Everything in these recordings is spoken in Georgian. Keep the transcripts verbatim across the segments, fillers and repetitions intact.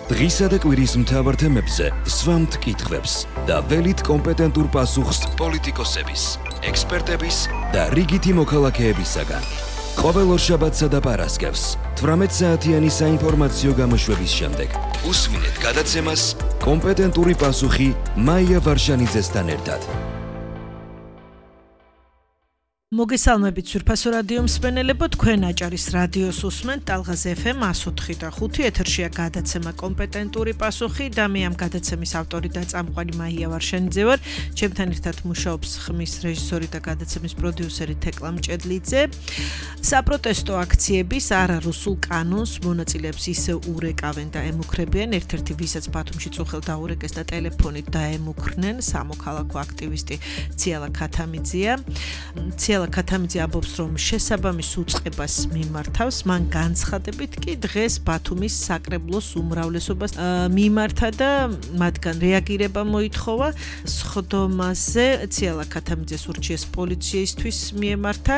დღისა და კვირის მთავარ თემებზე სვამთ კითხვებს და ველით კომპეტენტურ პასუხს პოლიტიკოსების, ექსპერტების და რიგითი მოქალაქეებისაგან. ყოველ ორშაბათსა და პარასკევს თვრამეტ საათიანი საინფორმაციო გამოშვების შემდეგ უსმინეთ გადაცემას კომპეტენტური პასუხი მაია ვარშანიძესთან ერთად. მოგესალმებით სურფასო რადიო მსმენელებო, თქვენ აჭარის რადიოს უსმენთ ტალღაზ ეფ ემ εκατო ოთხი და ხუთი, ეთერშია გადაცემა კომპეტენტური პასუხი და მე ამ გადაცემის ავტორი და წამყვანი მაია ვარშანიძე ვარ. ჩემთან ერთად მუშაობს ხმის რეჟისორი და გადაცემის პროდიუსერი თეკლა მჭედლიძე. საპროტესტო აქციების არარუსულ კანონს მონაწილეებს ისევ ურეკავენ და ემუქრებიან, ერთ-ერთი ვისაც ბათუმში წუხელ დაურეკეს და ტელეფონით დაემუქრნენ სამოქალაქო აქტივისტი ციალა ქათამიძეა. ციალა ქათამიძე ამბობს, რომ შესაბამის უწყებას მიმართავს, მან განცხადებით კი დღეს ბათუმის საკრებულოს უმრავლესობას მიმართა და მათგან რეაგირება მოითხოვა. სხდომაზე ციალა ქათამიძეს ურჩიეს პოლიციისთვის მიემართა.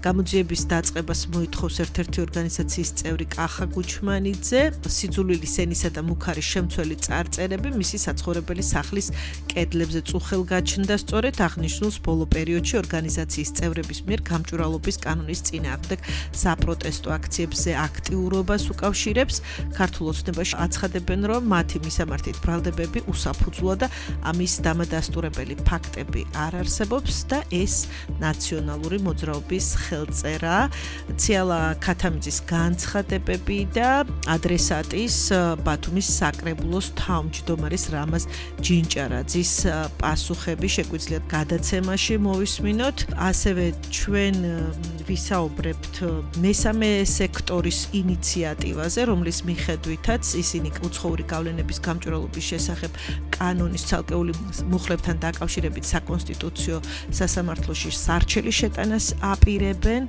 გამოძიების დაწყებას მოითხოვს ერთ-ერთი ორგანიზაციის წევრი კახა გუჩმანიძე. სიძულვილის ენისა და მუქარის შემცველი წარწერები მისი საცხოვრებელი სახლის კედლებზე წუხელ გაჩნდა. სწორედ აღნიშნულს ბოლო პერიოდში ორგანიზაციის წევრების მიერ გამჭვირვალობის კანონის წინააღმდეგ საპროტესტო აქციებზე აქტიურობას უკავშირებს. ქართულ ოცნებაში აცხადებენ, რომ მათი მისამართით ბრალდებები უსაფუძვლოა და ამის დამადასტურებელი ფაქტები არ არსებობს და ეს ნაციონალური მოძრაობის ხელწერა. ციალა ქათამიძის განცხადებები და ადრესატის ბათუმის საკრებულოს თავმჯდომარის რამაზ ჯინჭარაძის პასუხები შეგვიძლიათ გადაცემაში მოვისმინოთ. ასევე ჩვენ ვისაუბრებთ მესამე სექტორის ინიციატივაზე, რომლის მიხედვითაც ისინი უცხოური გავლენების გამჭვირვალობის შესახებ კანონის ცალკეული მუხლებთან დაკავშირებით საკონსტიტუციო სასამართლოში სარჩელი შეტანას აპირებენ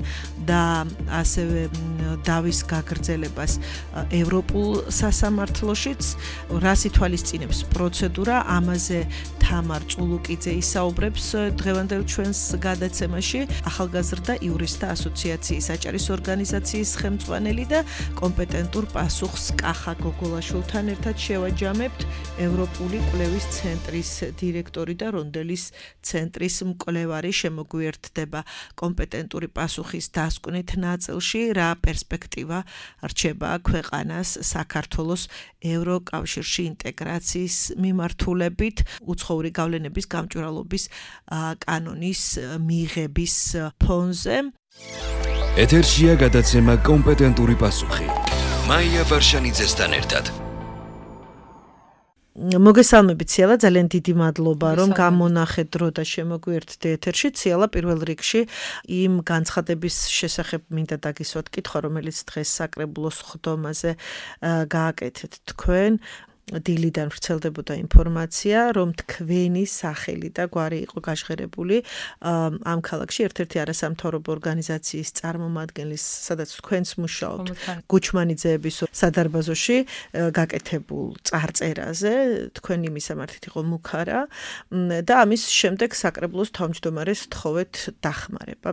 და ასევე დავის გაგრძელებას ევროპულ სასამართლოშიც. რას ითვალისწინებს პროცედურა, ამაზე თამარ წულუკიძე ისაუბრებს დღევანდელ ჩვენს გადაცემაში. ახალგაზრდა იურისტთა ასოციაციის აჭარის ორგანიზაციის ხელმძღვანელი და კომპეტენტურ პასუხს კახა გოგოლაშვილთან ერთად შევაჯამებთ. ევროპული კვლევის ცენტრის დირექტორი და რონდელის ცენტრის მკვლევარი შემოგვიერთდება კომპეტენტური პასუხის დასკვნით ნაწილში, რა პერსპექტივა რჩება ქვეყანას საქართველოს ევროკავშირში ინტეგრაციის მიმართულებით უცხოური გავლენების გამჭვირვალობის კანონის მიღების ფონზე. ეთერშია გადაცემა კომპეტენტური პასუხი მაია ვარშანიძესთან ერთად. მოგესალმებით ციალა, ძალიან დიდი მადლობა, რომ გამონახეთ დრო და შემოგვიერთდე ეთერში. ციალა, პირველ რიგში იმ განცხადების შესახებ მინდა დაგისვათ კითხვა, რომელიც დღეს საკრებულოს სხდომაზე გააკეთეთ თქვენ. დილიდან ვრცელდებოდა ინფორმაცია, რომ თქვენი სახელი და გვარი იყო გაჟღერებული ამ ქალაქში ერთ-ერთი არასამთავრობო ორგანიზაციის წარმომადგენლის, სადაც თქვენც მუშაობთ, გუჩმანიძეების სადარბაზოში გაკეთებულ წარწერაზე. თქვენი მისამართით იყო მუქარა და ამის შემდეგ საკრებულოს თავმჯდომარეს თხოვეთ დახმარება.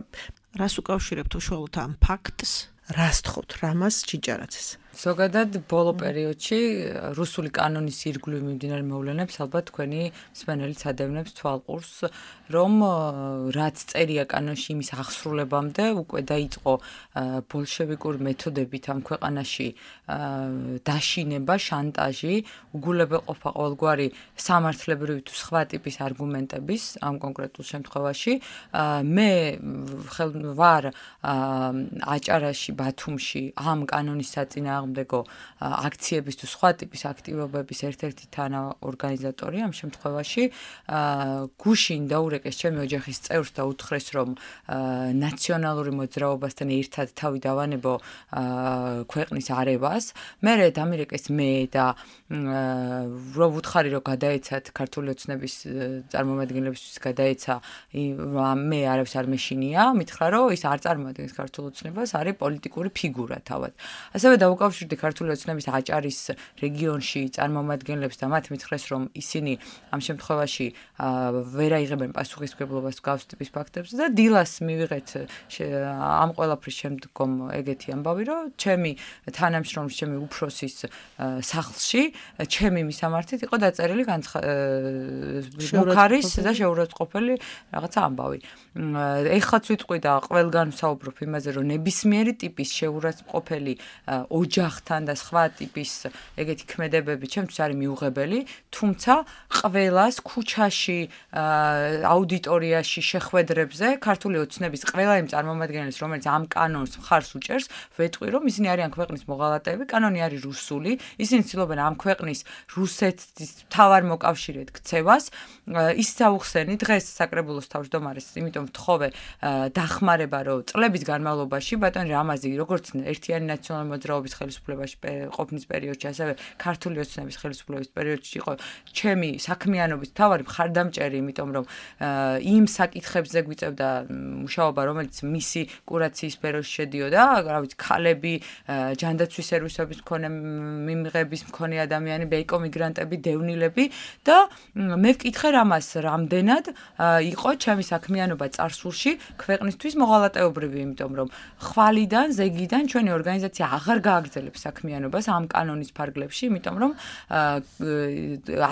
რას უკავშირებთ უშუალოდ ამ ფაქტს? რას თხოვთ რამაზ ჯინჭარაძეს? ზოგადად ბოლო პერიოდში რუსული კანონის ირგვლივ მიმდინარე მოვლენებს ალბათ თქვენი მსმენელიც ადევნებს თვალყურს, რომ რაც წერია კანონში იმის აღსრულებამდე უკვე დაიწყო ბოლშევიკური მეთოდებით ამ ქვეყანაში დაშინება, შანტაჟი, უგულებელყოფა ყოველგვარი სამართლებრივი თუ სხვა ტიპის არგუმენტების ამ კონკრეტულ შემთხვევაში. მე ვარ აჭარაში, ბათუმში ამ კანონის საწინააღმდეგო აქციების თუ სხვა ტიპის აქტივობების ერთ-ერთი თანაორგანიზატორი ამ შემთხვევაში. გუშინ დაურეკეს ჩემი ოჯახის წევრს და უთხრეს, რომ ნაციონალური მოძრაობასთან ერთად თავი დავანებო ქვეყნის არევას. მერე დამირეკეს მე და რომ ვუთხარი, რომ გადაეცათ ქართული ოცნების წარმომადგენლებისთვის გადაეცა, მე არავის არ მეშინია, მითხრა, რომ ის არ წარმოადგენს ქართულ ოცნებას, არის პოლიტიკური ფიგურა თავად. ასევე დაუკავშირე დაკავშირდი ქართული ოცნების აჭარის რეგიონში წარმომადგენლებს და მათ მითხრეს, რომ ისინი ამ შემთხვევაში ვერ აიღებენ პასუხისმგებლობას გავს ტიპის ფაქტებზე და დილას მივიღეთ ამ ყველაფრის შემდგომ ეგეთი ამბავი, რომ ჩემი თანამშრომლის, ჩემი უფროსის სახლში, ჩემი მისამართით იყო დაწერილი მუქარის და შეურაცხყოფელი რაღაცა ამბავი. ეხლაც ვიტყვი და ყველგან ვსაუბრობ იმაზე, რომ ნებისმიერი ტიპის შეურაცხყოფელი ოჯახთან და სხვა ტიპის ეგეთი ქმედებები ჩემთვის არის მიუღებელი, თუმცა ყველას ქუჩაში, აუდიტორიაში შეხვედრებზე ქართული ოცნების ყველა იმ წარმომადგენლის, რომელიც ამ კანონს მხარს უჭერს, ვეტყვი, რომ ისინი არიან ქვეყნის მოღალატეები, კანონი არის რუსული, ისინი ცდილობენ ამ ქვეყნის რუსეთის მთავარ მოკავშირედ ქცევას. ის საუხსენი დღეს საკრებულოს თავმჯდომარეს, იმიტომ ვთხოვე დახმარება, რომ წლების განმავლობაში ბატონ რამაზი, როგორც ერთიანი ნაციონალური მოძრაობის ხელისუფლებაში ყოფნის პერიოდში, ასევე ქართული ოცნების ხელისუფლების პერიოდში იყო ჩემი საქმიანობის მთავარი მხარდამჭერი, იმიტომ რომ იმ საკითხებზე გვიწევდა მუშაობა, რომელიც მისი კურაციის სფეროში შედიოდა, რა ვიცი, ქალები, ჯანდაცვის სერვისების მქონე მიმღების მქონე ადამიანები, ეკომიგრანტები, დევნილები და მე ვკითხე რამას, რამდენად იყო ჩემი საქმიანობა წარსულში ქვეყნისთვის მოღალატეობრივი, იმიტომ რომ ხვალიდან, ზეგიდან ჩვენი ორგანიზაცია აღარ გააგრძელებს საქმიანობას ამ კანონის ფარგლებში, იმიტომ რომ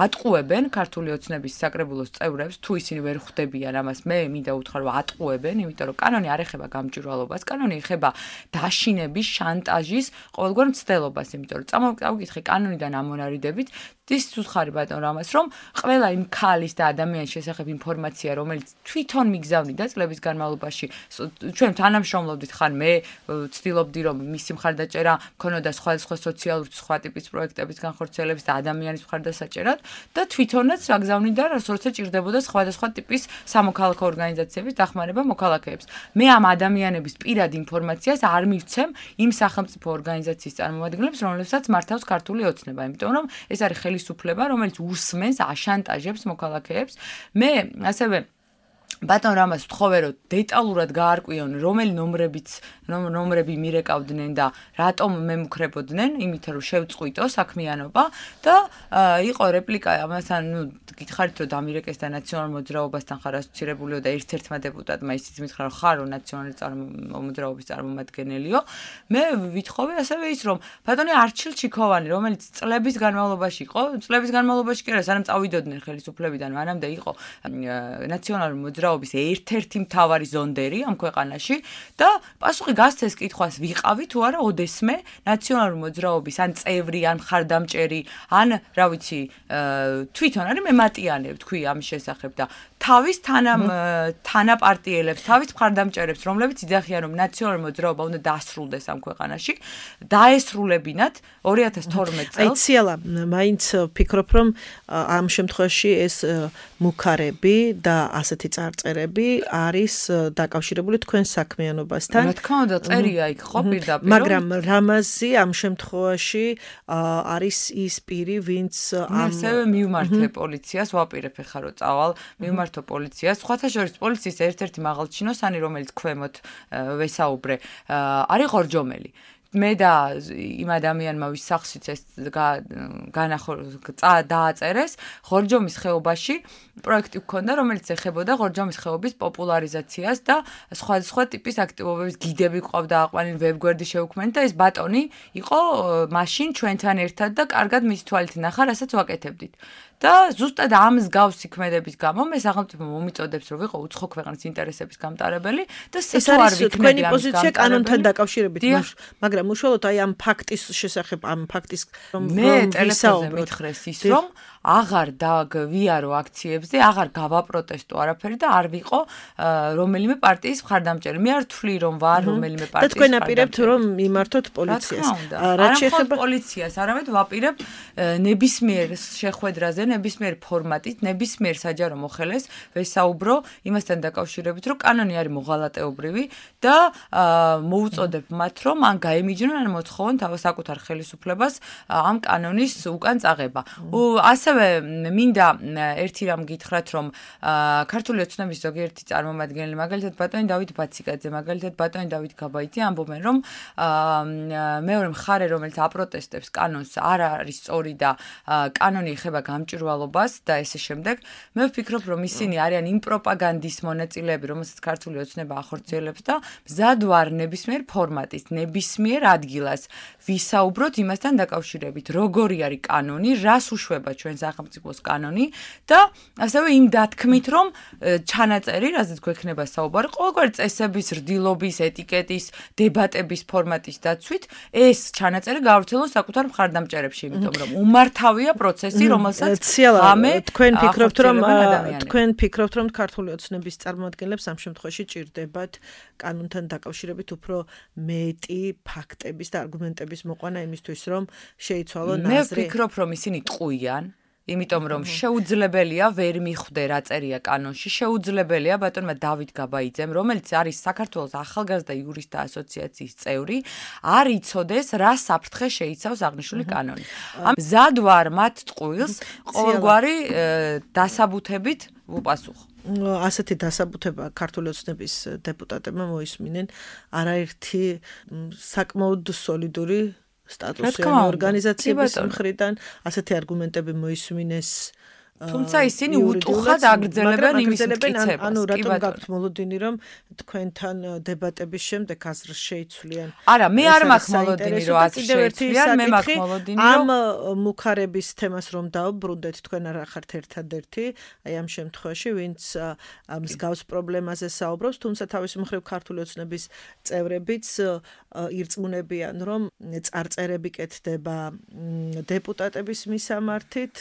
ატყუებენ ქართული ოცნების საკრებულოს წევრებს, თუ ისინი ვერ ხვდებიან ამას, მე მინდა უთხრა, რომ ატყუებენ, იმიტომ რომ კანონი არ ეხება გამჭვირვალობას, კანონი ეხება დაშინების, შანტაჟის, ყოველგვარ მცდელობას, იმიტომ რომ წავიკითხე კანონიდან ამონარიდებით, ის უცხარი ბატონ რამას, რომ ყველა იმ ქალის და ადამიანის შესახებ ინფორმაცია, რომელიც თვითონ მიგზავნიდა წლების განმავლობაში, ჩვენ თანამშრომლობდით, ხან მე ვცდილობდი, რომ მისი მხარდაჭერა მქონოდა სხვადასხვა სოციალური სხვა ტიპის პროექტების განხორციელების და ადამიანის მხარდასაჭერად და თვითონაც აგზავნიდა, როცა ჭირდებოდა სხვადასხვა ტიპის სამოქალაქო ორგანიზაციების დახმარება მოქალაქეებს. მე ამ ადამიანების პირად ინფორმაციას არ მივცემ იმ სახელმწიფო ორგანიზაციის წარმომადგენლებს, რომლებსაც მართავს ქართული ოცნება, იმიტომ რომ ეს არის ხელისუფლება, რომელიც უსმენს, აშანტაჟებს მოქალაქეებს. მე ასევე ბატონ რამას ვთხოვე, რომ დეტალურად გაარკვიონ, რომელი ნომრებიც ნომრები მირეკავდნენ და რატომ მემუქრებოდნენ, იმით რომ შევწყვიტო საქმიანობა და იყო რეპლიკა ამასთან, ნუ გითხარით, რომ დამირეკეს და ნაციონალურ მოძრაობასთან ხარ ასოცირებულიო და ერთ-ერთმა დეპუტატმა ისიც მითხრა, რომ ხარო ნაციონალური მოძრაობის წარმომადგენელიო. მე ვითხოვე ასევე ის, რომ ბატონი არჩილ ჩიქოვანი, რომელიც წლების განმავლობაში იყო, წლების განმავლობაში კი არა, სანამ წავიდოდნენ ხელისუფლებიდან, მანამდე იყო ნაციონალური მოძრაობის ერთ-ერთი მთავარი ზონდერი ამ ქვეყანაში და პასუხი გასცეს კითხვას, ვიყავი თუ არა ოდესმე ნაციონალური მოძრაობის ან წევრი, ან მხარდამჭერი, ან რა ვიცი, თვითონ არის მემატიანე თქვი ამის შესახებ და თავის თანამ თანაპარტიელებს, თავის მხარდამჭერებს, რომლებიც იძახიან, რომ ნაციონალური მოძრაობა უნდა დაასრულდეს ამ ქვეყანაში, დაესრულებინათ ორი ათას თორმეტ წელს. აი ციალა, მაინც ვფიქრობ, რომ ამ შემთხვევაში ეს მუქარები და ასეთი წარწერები არის დაკავშირებული თქვენ საქმიანობასთან. რა თქმა უნდა, წერია იქ ხო პირდაპირ. მაგრამ რამაზი ამ შემთხვევაში არის ის პირი, ვინც ამ ასევე მივმართე პოლიციას, ვაპირებ ხა რომ წავალ, მივმართო პოლიციას. სხვათა შორის პოლიციის ერთ-ერთი მაღალჩინოსანი, რომელიც ქვემოთ ვესაუბრე, არის ხორჯომელი. მე და იმ ადამიანმა ვის სახლშიც ეს დააწერეს ხორჯომის ხეობაში პროექტი გქონდა, რომელიც ეხებოდა ხორჯომის ხეობის პოპულარიზაციას და სხვადასხვა ტიპის აქტივობების გიდები ყავდა აყვანილი ვებგვერდი შევქმნით და ეს ბატონი იყო მაშინ ჩვენთან ერთად და კარგად მის თვალით ნახა, რასაც ვაკეთებდით. და ზუსტად ამ მსგავსი ქმედების გამო მე სახელმწიფო მომიწოდებს, რომ ვიყო უცხო ქვეყნის ინტერესების გამტარებელი და ეს არის თქვენი პოზიცია კანონთან დაკავშირებით, მაგრამ უშუალოდ აი ამ ფაქტის შესახებ, ამ ფაქტის მე ტელეფონზე მითხრეს ის, რომ აღარ დავიარო აქციებზე, აღარ გავაპროტესტო არაფერი და არ ვიყო რომელიმე პარტიის მხარდამჭერი. მე არ ვთვლი, რომ ვარ რომელიმე პარტიის. და თქვენ აპირებთ, რომ მიმართოთ პოლიციას. რაც შეეხება პოლიციას, არამედ ვაპირებ ნებისმიერ შეხვედრაზე, ნებისმიერ ფორმატით, ნებისმიერ საჯარო მოხელეს ვესაუბრო იმასთან დაკავშირებით, რომ კანონი არის მოღალატეობრივი და მოუწოდებ მათ, რომ ან გაემი მიიჯნონ ან მოთხოვონ თავის საკუთარ ხელისუფლებას ამ კანონის უკან წაღება. ასევე მინდა ერთი რამ გითხრათ, რომ ქართული ოცნების ზოგიერთი წარმომადგენელი, მაგალითად ბატონი დავით ბაციკაძე, მაგალითად ბატონი დავით გაბაიძე ამბობენ, რომ მეორე მხარე, რომელიც აპროტესტებს კანონს, არ არის სწორი და კანონი ეხება გამჭვირვალობას და ესე შემდეგ. მე ვფიქრობ, რომ ისინი არიან იმ პროპაგანდის მონაწილეები, რომელსაც ქართული ოცნება ახორციელებს და მზად ვარ ნებისმიერ ფორმატის, ნებისმიერ ადგილას ვისაუბროთ იმასთან დაკავშირებით, როგორი არის კანონი, რას უშვება ჩვენ სახელმწიფოს კანონი და ასევე იმ დათქმით, რომ ჩანაწერი, რაზეც გვექნება საუბარი, ყოველგვარი წესების, რდილობის, ეტიკეტის, დებატების ფორმატის დაცვით, ეს ჩანაწერი გავრცელოს საკუთარ მხარდამჭერებში, იმიტომ რომ უმართავია პროცესი, რომელსაც ხამე თქვენ ფიქრობთ, რომ თქვენ ფიქრობთ, რომ ქართული ოცნების წარმომადგენლებს ამ შემთხვევაში ჭირდებათ კანონთან დაკავშირებით უფრო მეტი ფაქტების და არგუმენტების მოყვანა იმისთვის, რომ შეიცვალონ აზრი. მე ვფიქრობ, რომ ისინი ტყუიან, იმიტომ რომ შეუძლებელია ვერ მიხვდე რა წერია კანონში, შეუძლებელია ბატონმა დავით გაბაიძემ, რომელიც არის საქართველოს ახალგაზრდა იურისტთა ასოციაციის წევრი, არ იცოდეს რა საფრთხე შეიცავს აღნიშნული კანონი. მზად ვარ მათ ტყუილს ყოველგვარი დასაბუთებით ვუპასუხო. ასეთი დასაბუთება ქართული ოცნების დეპუტატებმა მოისმინნენ არაერთი საკმაოდ სოლიდური სტატუსიანი ორგანიზაციების მხრიდან, ასეთი არგუმენტები მოისმინეს თუმცა ისინი უტუხად აგრძელებენ იმის მტკიცებას. ანუ რატომ გაქვთ მოლოდინი, რომ თქვენთან დებატების შემდეგ აზრს შეიცვლიან? არა, მე არ მაქვს მოლოდინი, რომ აზრს შეიცვლიან, მე მაქვს მოლოდინი, რომ ამ მუხარების თემას რომ დავბრუნდეთ, თქვენ არ ახართ ერთადერთი, აი ამ შემთხვევაში, ვინც მსგავს პრობლემაზე საუბრობს, თუმცა თავის მხრივ ქართული ოცნების წევრებიც ირწმუნებიან, რომ წარწერები კეთდება დეპუტატების მისამართით,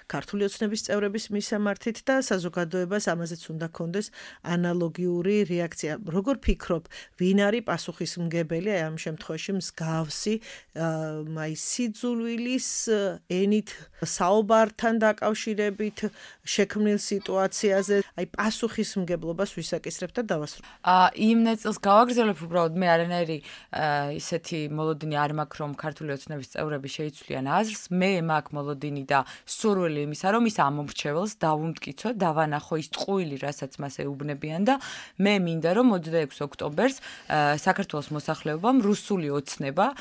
ქართული ოცნების წევრების მისამართით და საზოგადოებას ამაზეც უნდა კონდეს ანალოგიური რეაქცია. როგორ ფიქრობ, ვინ არის პასუხისმგებელი აი ამ შემთხვევაში მსგავსი აი სიძულვილის ენით საუბართან დაკავშირებით შექმნილ სიტუაციაზე, აი პასუხისმგებლობას ვისაკისრებთ და დავასრულებ. აა იმ ნაწილს გავაგრძელებ უბრალოდ მე არანაირი ისეთი მოლოდინი არ მაქვს, რომ ქართული ოცნების წევრები შეიცვლიან აზრს, მე მაქვს მოლოდინი და სურვილი იმისა, რომ ის ამომრჩეველს დავუმტკიცო, დავანახო ის ტყუილი, რასაც მას ეუბნებიან და მე მინდა, რომ ოცდაექვსი ოქტომბერს საქართველოს მოსახლეობამ რუსული ოცნება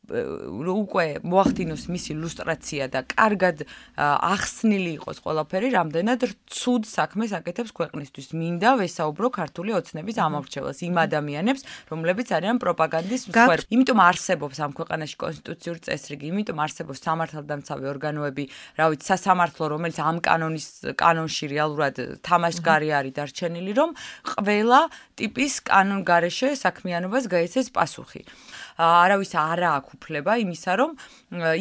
უკვე მოახდინოს მისი ლუსტრაცია და კარგად ახსნილი იყოს ყველაფერი, რამდენად ცუდ საქმეს აკეთებს ქვეყნისთვის. მინდა ვესაუბრო ქართული ოცნების ამომრჩეველს, იმ ადამიანებს, რომლებიც არიან პროპაგანდის მსხვერპლი. იმიტომ არსებობს ამ ქვეყანაში კონსტიტუციური წესრიგი, იმიტომ არსებობს სამართალდამცავი ორგანოები, რა ვიცი, სასამართლო, რომელიც ამ კანონის კანონში რეალურად თამაშგარი არის დარჩენილი, რომ ყველა ტიპის კანონგარეშე საქმიანობას გაიცეს პასუხი. არავის არა აქვს უფლება იმისა, რომ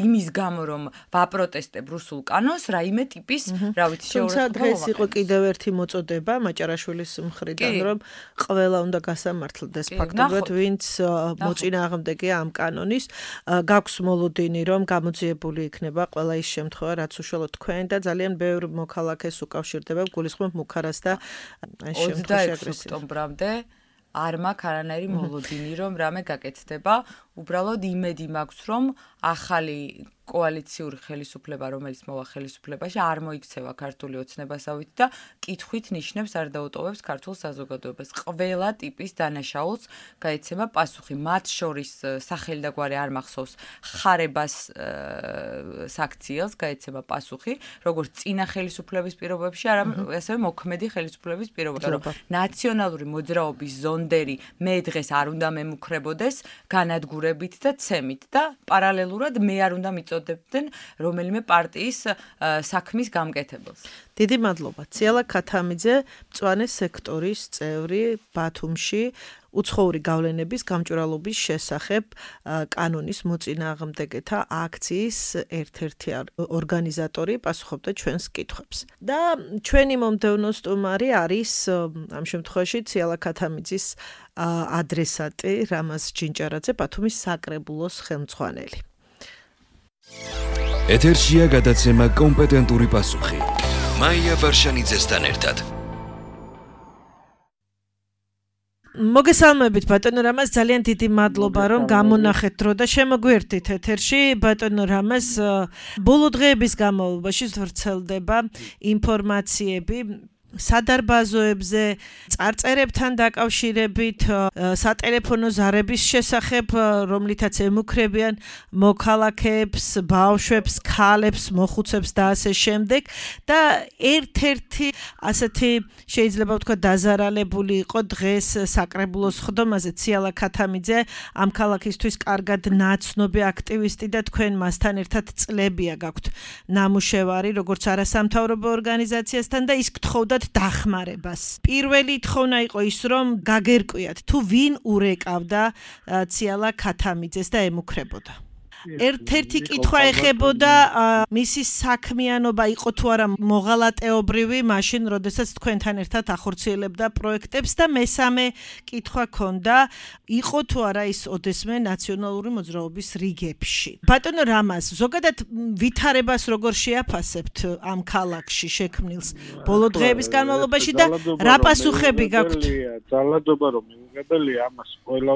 იმის გამო, რომ ვაპროტესტებ რუსულ კანონს, რაიმე ტიპის, რა ვიცი, შეურაცხმობა. თუმცა დღეს იყო კიდევ ერთი მოწოდება მაჭარაშვილის მხრიდან, რომ ყველა უნდა გასამართლდეს ფაქტობრივად, ვინც მოწინააღმდეგეა ამ კანონის. გაქვს მოლოდინი, რომ გამოძიებული იქნება ყველა ის შემთხვევა, რაც უშუალოდ თქვენ და ძალიან ბევრ მოქალაქეს უკავშირდება, გულისხმობ მუხარას და ამ შემთხვევაში ოცდაექვსი ოქტომბრამდე არ მაქვს არანაირი მოლოდინი, რომ რამე გაკეთდება, უბრალოდ იმედი მაქვს, რომ ახალი კოალიციური ხელისუფლება, რომელიც მოვა ხელისუფლებაში, არ მოიქცევა ქართული ოცნებასავით და კითხვით ნიშნებს არ დაუტოვებს ქართულ საზოგადოებას. ყველა ტიპის დანაშაულს გაეცემა პასუხი. მათ შორის სახელი და გვარი არ მახსოვს ხარებას საქციელს გაეცემა პასუხი, როგორც წინა ხელისუფლების პირობებში, არამედ ასევე მოქმედი ხელისუფლების პირობებში. რომ ნაციონალური მოძრაობის ზონდერი მე დღეს არ უნდა მემუქრებოდეს განადგურებით და ცემით და პარალელურად მე არ უნდა მიწოდებდნენ რომელიმე პარტიის საქმის გამკეთებელს. დიდი მადლობა. ციალა ქათამიძე, მწვანე სექტორის წევრი ბათუმში, უცხოური გავლენების გამჭვირვალობის შესახებ კანონის მოწინააღმდეგეთა აქციის ერთ-ერთი ორგანიზატორი პასუხობდა ჩვენს კითხვებს. და ჩვენი მომდევნო სტუმარი არის ამ შემთხვევაში ციალა ქათამიძის ადრესატი რამაზ ჯინჭარაძე, ბათუმის საკრებულოს ხელმძღვანელი. ეთერშია გადაცემა კომპეტენტური პასუხი. მაია ვარშანიძესთან ერთად. მოგესალმებით ბატონო რამაზ, ძალიან დიდი მადლობა რომ გამონახეთ დრო და შემოგვერთით ეთერში. ბატონო რამაზ, ბოლო დღეების განმავლობაში ვრცელდება ინფორმაციები სადარბაზოებზე, წარწერებთან დაკავშირებით, სატელეფონო ზარების შესახებ, რომლითაც ემუქრებიან მოქალაქეებს, ბავშვებს, ქალებს, მოხუცებს და ასე შემდეგ და ერთ-ერთი ასეთი შეიძლება ვთქვა დაზარალებული იყო დღეს საკრებულოს ხდომაზე ციალა ქათამიძე, ამ ქალაქისთვის კარგად ნაცნობი აქტივისტი და თქვენ მასთან ერთად წლებია გაქვთ ნამუშევარი, როგორც არასამთავრობო ორგანიზაციასთან და ის გთხოვდა დახმარებას. პირველი თხოვნა იყო ის, რომ გაგერკვიათ, თუ ვინ ურეკავდა ციალა ქათამიძეს და ემუქრებოდა. ერთ-ერთი კითხვა ეხებოდა მისი საქმიანობა იყო თუ არა მოღალატეობრივი, მაშინ როდესაც თქვენთან ერთად ახორციელებდა პროექტებს და მესამე კითხვა ქონდა, იყო თუ არა ის ოდესმე ნაციონალური მოძრაობის რიგებში. ბატონო რამაზ, ზოგადად ვითარებას როგორ შეაფასებთ ამ ქალაქში შექმნილს ბოლო დღეების განმავლობაში და რა პასუხები გაქვთ? ძალადობა რომ მიუღებელია, ამას ყველა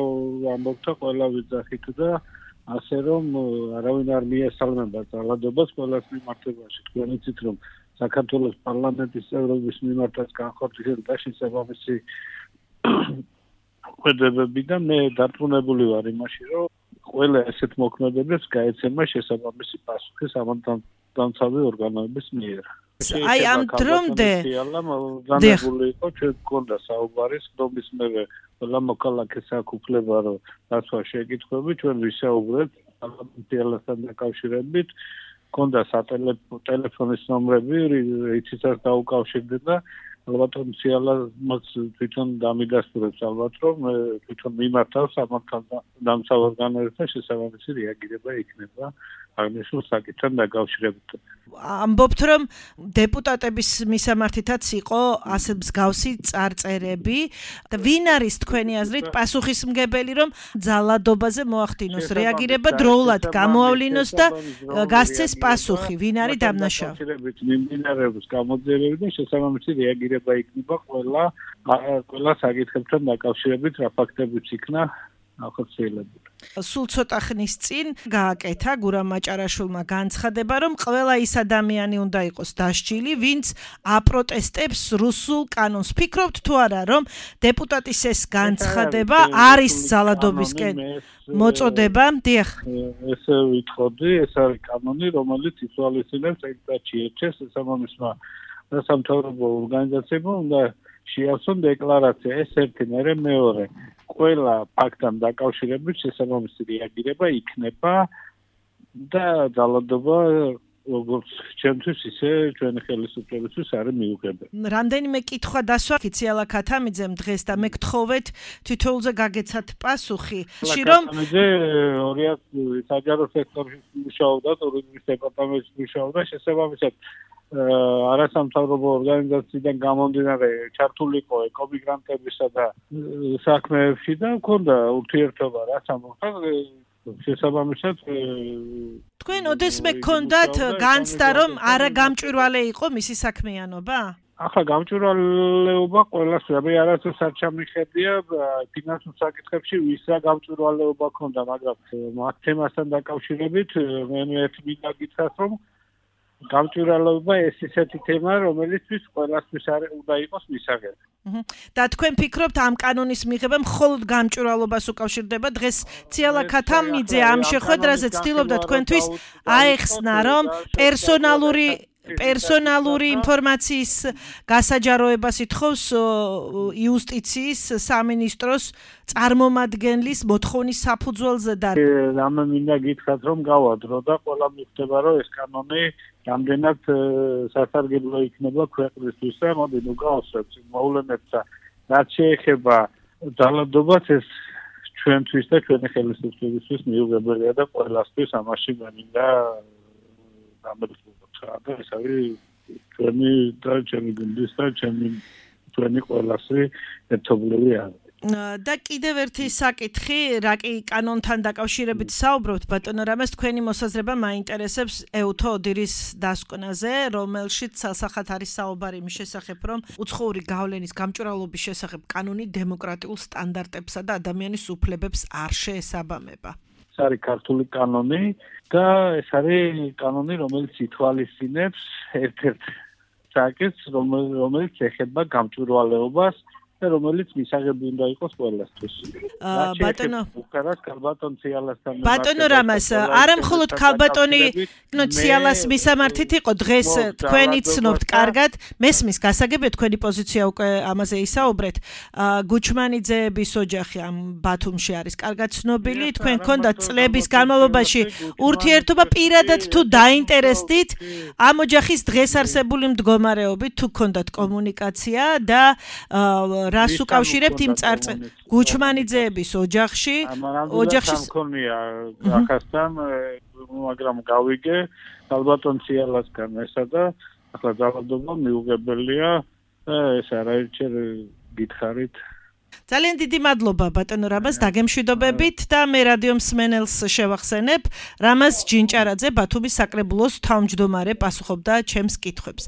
ამბობდა, ყველა ვიძახით და ასე რომ არავინ არ მიესალმება ძალადობას ყველას მიმართებაში. თქვენ იცით რომ საქართველოს პარლამენტის წევრების მიმართაც განხორციელდა შესაბამისი ხვედები და მე დარწმუნებული ვარ იმაში, რომ ყველა ესეთ მოქმედებას გაეცემა შესაბამისი პასუხი სამართალდამცავი ორგანოების მიერ. აი ამ დრომდე განებული იყო, ჩვენ გქონდა საუბარი ხდომის მერე ყველა მოქალაქეს აქვს უფლება რომ დაცვა შეკითხვები, ჩვენ ვისაუბრეთ პარლამენტიელასთან დაკავშირებით, გქონდა სატელეფონის ნომრები, რითიც დაუკავშირდეთ და ალბათ ციალას თვითონ დამიდასტურებს ალბათ რომ თვითონ მიმართავს სამართალდამცავ ორგანოებთან შესაბამისი რეაგირება იქნება აღნიშნულ საკითხთან დაკავშირებით. ამბობთ რომ დეპუტატების მისამართითაც იყო ასე მსგავსი წარწერები და ვინ არის თქვენი აზრით პასუხისმგებელი რომ ძალადობაზე მოახდინოს რეაგირება დროულად გამოავლინოს და გასცეს პასუხი, ვინ არის დამნაშავე? მიმდინარეობს გამოძიებები და შესაბამისი რეაგირება იქნება ყველა ყველა საკითხებთან დაკავშირებით, რა ფაქტებიც იქნა ახორციელებული. სულ ცოტა ხნის წინ გააკეთა გურამ მაჭარაშვილმა განცხადება, რომ ყველა ის ადამიანი უნდა იყოს დასჯილი, ვინც აპროტესტებს რუსულ კანონს. ფიქრობთ თუ არა, რომ დეპუტატის ეს განცხადება არის ძალადობისკენ მოწოდება? დიახ. ესე ვიტყოდი, ეს არის კანონი, რომელიც ითვალისწინებს ეგრეთში ერჩეს სამომისმა და სამთავრობო ორგანიზაციებმა უნდა შეასწრონ დეკლარაცია, ეს ერთი, მერე მეორე. ყველა ფაქტთან დაკავშირებით შესაბამისი რეაგირება იქნება და ძალადობა როგორც ჩემთვის ისე ჩვენი ხელისუფლებისთვის არის მიუღებელი. რამდენიმე კითხვა დასვა ციალა ქათამიძემ დღეს და მე გთხოვეთ თითოეულზე გაგეცათ პასუხი. რომ ორი საჯარო სექტორში მუშაობდა, ტურიზმის დეპარტამენტში მუშაობდა, შესაბამისად არასამთავრობო ორგანიზაციიდან გამომდინარე ჩართული იყო ეკომიგრანტებისა და საქმეებში და მქონდა ურთიერთობა რაც ამბობთ შესაბამისად თქვენ ოდესმე გქონდათ განცდა რომ არა გამჭვირვალე იყო მისი საქმიანობა? ახლა გამჭვირვალეობა ყველას მე არასდროს არ ჩამიხედია ფინანსურ საკითხებში ვისა გამჭვირვალეობა ქონდა, მაგრამ ამ თემასთან დაკავშირებით მე ერთი მინდა გითხრათ რომ გამჭვირვალეობა ეს ისეთი თემა, რომელისთვის ყველასთვის უნდა იყოს მისაღები. და თქვენ ფიქრობთ ამ კანონის მიღება მხოლოდ გამჭვირვალობას უკავშირდება? დღეს ციალა ქათამიძე ამ შეხვედრაზე ცდილობდა თქვენთვის აეხსნა, რომ პერსონალური პერსონალური ინფორმაციის გასაჯაროებას ითხოვს იუსტიციის სამინისტროს წარმომადგენლის მოთხოვნის საფუძველზე და რამე მინდა გითხრათ რომ გავადრო და ყველა მიხვდება რომ ეს კანონი რამდენად სასარგებლო იქნება ქვეყნისთვის და მოდი ნუ გავსვევთ მოვლენებს და რაც შეეხება ძალადობას ეს ჩვენთვის და ჩვენი ხელისუფლებისთვის მიუღებელია და ყველასთვის ამაში მინდა გამერცხება. ეს არის ჩვენი და ჩემი გუნდის და ჩემი ჩვენი ყველასი ერთობლივი არის. და კიდევ ერთი საკითხი, რა კი კანონთან დაკავშირებით საუბრობთ, ბატონო რამეს, თქვენი მოსაზრება მაინტერესებს ეუთო ოდირის დასკვნაზე, რომელშიც სასახად არის საუბარი იმის შესახებ, რომ უცხოური გავლენის გამჭვირვალობის შესახებ კანონი დემოკრატიულ სტანდარტებსა და ადამიანის უფლებებს არ შეესაბამება. ეს არის ქართული კანონი და ეს არის კანონი, რომელიც ითვალისწინებს ერთ-ერთ საკითხს, რომელიც ეხება გამჭვირვალეობას და რომელიც მისაღები უნდა იყოს ყველასთვის. ბატონო ქალბატონ ციალასთან ბატონო რამას, არა მხოლოდ ქალბატონი, ნუ ციალას მისამართით იყო დღეს თქვენი ცნობთ კარგად, მესმის გასაგებია თქვენი პოზიცია უკვე ამაზე ისაუბრეთ. გუჩმანიძეების ოჯახი ამ ბათუმში არის კარგად ცნობილი, თქვენ გქონდათ წლების განმავლობაში ურთიერთობა პირადად თუ დაინტერესდით ამ ოჯახის დღეს არსებული მდგომარეობით, თუ გქონდათ კომუნიკაცია და რას უკავშირებთ იმ წარწ გუჩმანიძეების ოჯახში ოჯახში მქონია ახასთან მაგრამ გავიგე ალბათონ ციალასგან ესა და ახლა ძალადობა მიუღებელია ეს არაერთხელ გითხარით ძალიან დიდი მადლობა ბატონო რამას დაგემშვიდობებით და მე რადიო მსმენელს შევახსენებ რამას ჯინჭარაძე ბათუმის საკრებულოს თავმჯდომარე პასუხობდა ჩემს კითხვებს